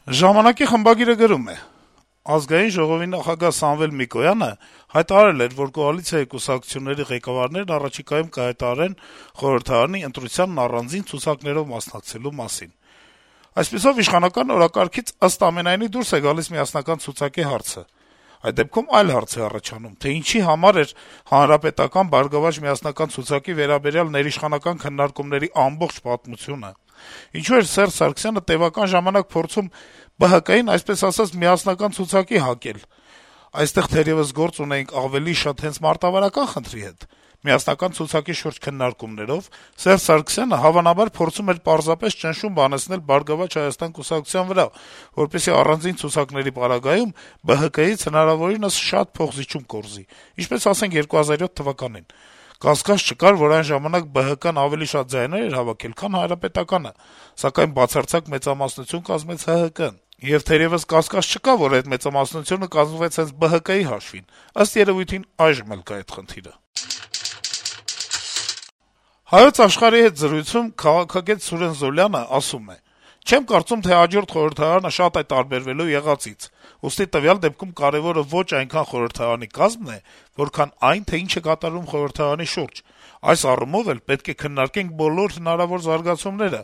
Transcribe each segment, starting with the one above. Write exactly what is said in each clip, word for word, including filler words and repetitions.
Ժամանակի խմբագիրը գրում է. - «Ազգային ժողովի նախագահ Սամվել Նիկոյանը հայտարարել էր, որ կոալիցիայի կուսակցությունների ղեկավարներն առաջիկայում կհայտարարեն խորհրդարանի ընտրությանն առանձին ցուցակներով մասնակցելու մասին: Այսպիսով, իշխանական օրակարգից, ըստ ամենայնի, դուրս է գալիս միասնական ցուցակի հարցը: Այդ դեպքում այլ հարց է առաջանում, թե ինչի համար էր հանրապետական «Բարգավաճ միասնական ցուցակի» վերաբերյալ ներիշխանական քննարկումների ամբողջ պատմությունը: Ինչու էր Սերժ Սարգսյանը տեւական ժամանակ փորձում Բ Հ Կ-ին, այսպես ասած, միասնական ցուցակի հակել: Այստեղ թերեւս գործ ունեինք ավելի շատ հենց մարտավարական խնդրի հետ: Միասնական ցուցակի շուրջ քննարկումներով Սերժ Սարգսյանը հավանաբար փորձում էր պարզապես ճնշում բանեցնել «Բարգավաճ Հայաստան» կուսակցության վրա, որպեսզի առանձին ցուցակների պարագայում Բ Հ Կ-ից հնարավորինս շատ փոխզիջում կորզի, ինչպես, ասենք, երկու հազար յոթ թվականին: Կասկած չկար, որ այն ժամանակ Բ Հ Կն ավելի շատ ձայներ էր հավաքել, քան Հանրապետականը, սակայն բացարձակ մեծամասնություն կազմեց Հ Հ Կն: Եվ թերեւս կասկած չկա, որ այդ մեծամասնությունը կազմվեց հենց Բ Հ Կ-ի հաշվին: Ըստ երեւույթին այժմ էլ կա այդ խնդիրը»: «Հայոց Աշխարհ»-ի հետ զրույցում քաղաքագետ Սուրեն Զոլյանը ասում է. - «Չեմ կարծում, թե հաջորդ խորհրդարանը շատ է տարբերվելու եղածից: Ուստի տվյալ դեպքում կարեւորը ոչ այնքան խորհրդարանի կազմն է, որքան այն, թե ինչ է կատարվում խորհրդարանի շուրջ: Այս առումով էլ պետք է քննարկենք բոլոր հնարավոր զարգացումները,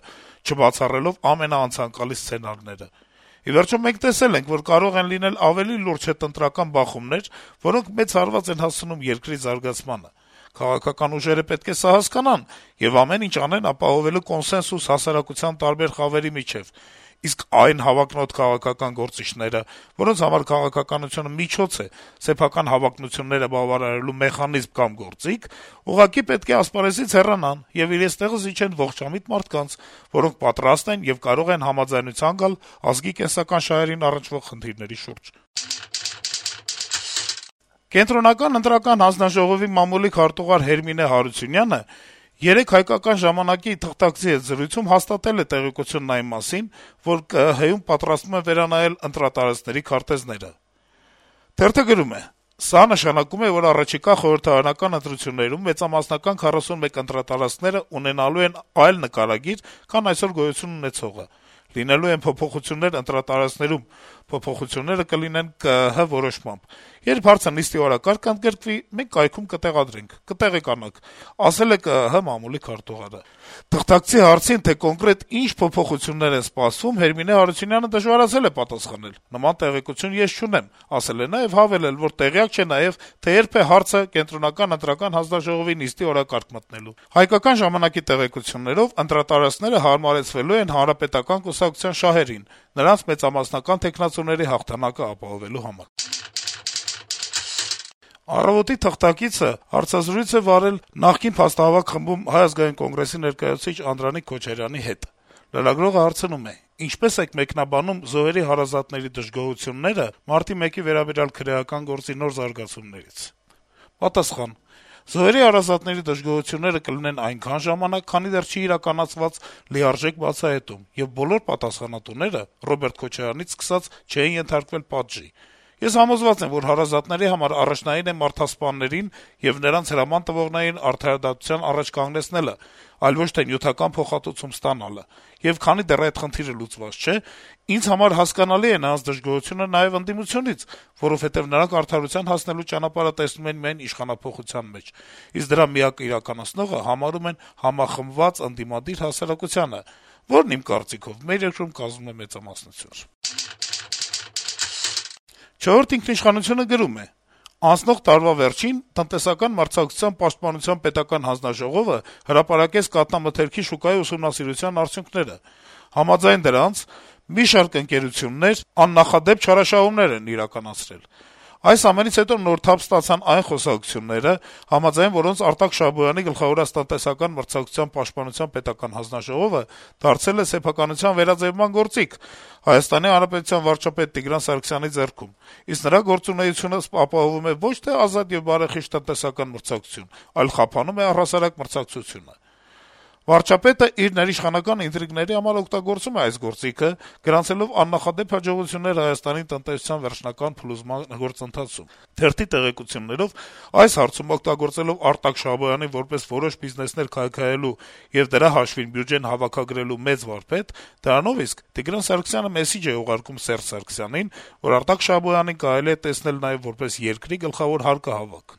չբացառելով ամենաանցանկալի սցենարները: Ի վերջո, մենք տեսել ենք, որ կարող են լինել ավելի լուրջ հետընտրական բախումներ, որոնք մեծ հարված են հասցնում երկրի զարգացմանը: Քաղաքական ուժերը պետք է սա հասկանան եւ ամեն ինչ անեն ապահովելու կոնսենսուս հասարակության տարբեր խավերի միջեւ: Իսկ այն հավակնոտ քաղաքական գործիչները, որոնց համար քաղաքականությունը միջոց է, սեփական հավակնությունները բավարարելու մեխանիզմ կամ գործիք, ուղղակի պետք է ասպարեզից հեռանան եւ իրենց տեղը զիջեն ողջամիտ մարդկանց, որոնք պատրաստ են եւ կարող են համաձայնության գալ ազգի կենսական շահերին առնչվող խնդիրների շուրջ»: Կենտրոնական ընտրական հանձնաժողովի մամուլիկ հարտուղար Հերմինե Հարությունյանը երեկ «Հայկական ժամանակ»-ի թղթակցի հետ զրույցում հաստատել է տեղեկությունն այն մասին, որ Կը ԸՀ Հ-ում պատրաստվում են վերանայել ընտրատարածքների քարտեզները: Թերթը գրում է. - «Սա նշանակում է, որ առաջիկա խորհրդարանական ընտրություններում մեծամասնական քառասունմեկ ընտրատարածքները ունենալու են այլ նկարագիր, քան այսօր գոյություն ունեցողը: Լինելու են փոփոխություններ ընտրատարածքներում, փոփոխությունները կլինեն Կը ԸՀ Հ որոշմամբ: Երբ հարցը նիստի օրակարգ ընդգրկվի, մենք կայքում կտեղադրենք, կտեղեկանանք», - ասել է Կը ԸՀ Հ մամուլիկ հարտուղարը: Թղթակցի հարցին, թե կոնկրետ ինչ փոփոխություններ են սպասվում, Հերմինե Հարությունյանը դժվարացել է պատասխանել. «Նման տեղեկություն ես չունեմ», ասել է նաեւ հավելել, որ տեղյակ չէ նաեւ, թե երբ է հարցը Կենտրոնական ընտրական հանձնաժողովի նիստի օրակարգ մտնելու: «Հայկական ժամանակ»-ի տեղեկություններով ընտրատարածքները հարմարեցվելու են Հանրապետական կուսակցության շահերին, նրանց մեծամասնական թեկնածուների հաղթանակը ապահովելու համար»: «Առավոտ»-ի թղթակիցը հարցազրույց է վարել նախկին փաստահավաք խմբում Հայ ազգային կոնգրեսի ներկայացուցիչ Անդրանիկ Քոչարյանի հետ: Լրագրողը հարցնում է. - «Ինչպե՞ս եք մեկնաբանում Զոհերի հարազատների դժգոհությունները մարտի մեկի վերաբերյալ քրեական գործի նոր զարգացումներից»: Պատասխան. - «Զոհերի հարազատների դժգոհությունները կլինեն այնքան ժամանակ, քանի դեռ չի իրականացված լիարժեք բացահայտում, եւ բոլոր պատասխանատուները` Ռոբերտ Քոչարյանից սկսած, չէին ենթարկվել պատժի: Ես համոզված եմ, որ հարազատների համար առաջնային է մարդասպաններին եւ նրանց հրաման տվողներին արդարադատության առաջ կանգնեցնելը, այլ ոչ թե նյութական փոխհատուցում ստանալը: Եվ քանի դեռ այդ խնդիրը լուծված չէ, ինձ համար հասկանալի է նրանց դժգոհությունը նաեւ ընդդիմությունից, որովհետեւ նրանք արդարության հասնելու ճանապարհը տեսնում են միայն իշխանափոխության մեջ, իսկ դրա միակ իրականացնողը համարում են համախմբված ընդդիմադիր հասարակությանը, որն, իմ կարծիքով, մեր երկրում կազմում է մեծամասնություն»: «Չորրորդ ինքնիշխանություն»-ը գրում է. - «Անցնող տարվա վերջին տնտեսական մրցակցության պաշտպանության պետական հանձնաժողովը հրապարակեց կաթնամթերքի շուկայի ուսումնասիրության արդյունքները: Համաձայն դրանց` մի շարք ընկերություններ աննախադեպ չարաշահումներ են իրականացրել: Այս ամենից հետո նոր թափ ստացան այն խոսակցությունները, համաձայն որոնց Արտակ Շահբոյանի գլխավորած տնտեսական մրցակցության պաշտպանության պետական հանձնաժողովը դարձել է սեփականության վերաձեւման գործիք ՀՀ վարչապետ Տիգրան Սարգսյանի ձեռքում, իսկ նրա գործունեությունը ապահովում է ոչ թե ազատ եւ բարեխիղճ տնտեսական մրցակցություն, այլ խափանում է առհասարակ մրցակցությունը: Վարչապետը իր ներիշխանական ինտրիգների համար օգտագործում է այս գործիքը, գրանցելով աննախադեպ հաջողություններ Հայաստանի տնտեսության վերջնական փլուզման գործընթացում։ Թերթի տեղեկություններով այս հարցում օգտագործելով Արտակ Շահբոյանին որպես որոշ բիզնեսներ քայքայելու եւ դրա հաշվին բյուջեն հավաքագրելու մեծ վարպետ, դրանով իսկ Տիգրան Սարգսյանը մեսիջ է ուղարկում Սերժ Սարգսյանին, որ Արտակ Շահբոյանին կարելի է տեսնել նաեւ որպես երկրի գլխավոր հարկահավաք։